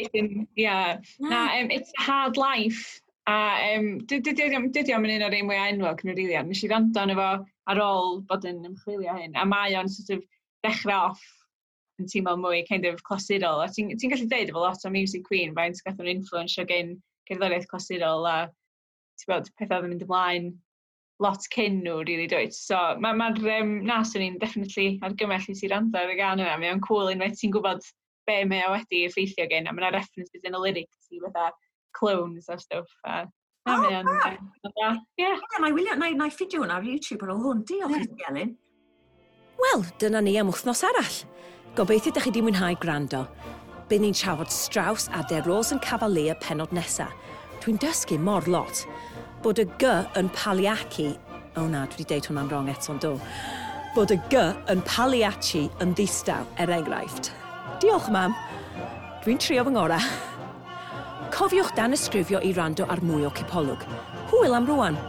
yeah. Na, It's a Hard Life. A dydy o'm yn un o'r un mwy enwog nhw, rili. Nes i wrando arno fo ar ôl bod yn ymchwilio hyn. A mae o'n sort of dechrau off yn teimlo mwy kind of clasurol. A ti'n ti gallu deud efo lot o music Queen, faint gath nhw'n influensio gen cerddoriaeth clasurol a ti'n bod, pethau oedd yn mynd ymlaen lot cyn nhw, really, dwyt. So, mae'r ma, na, swn i'n definitely argymell i ti wrando ar y gân yna. Mae o'n cool unwaith ti'n gwybod be mae o wedi effeithio gen, a mae yna references yn y lyrics i fatha clones a stuff. A, na, oh, mae o'n... Ie. Ie, na i wylio, na i ffidio hwnna ar YouTube ar ôl hwn. Diolch i ti, Elin. Wel, dyna ni am wythnos arall. Gobeithio ydych chi wedi mwynhau gwrando. Bydd ni'n trafod Strauss a Der Rosenkavalier penod nesa. Dwi'n dysgu mor lot. Bod y G yn Pagliacci... O na, dwi wedi deud hwnna'n wrong eto'n do. Bod y G yn Pagliacci yn ddistaw, er enghraifft. Diolch, mam. Dwi'n trio fy ngorau. Cofiwch danysgrifio i wrando ar mwy o Cipolwg. Hwyl am rwan.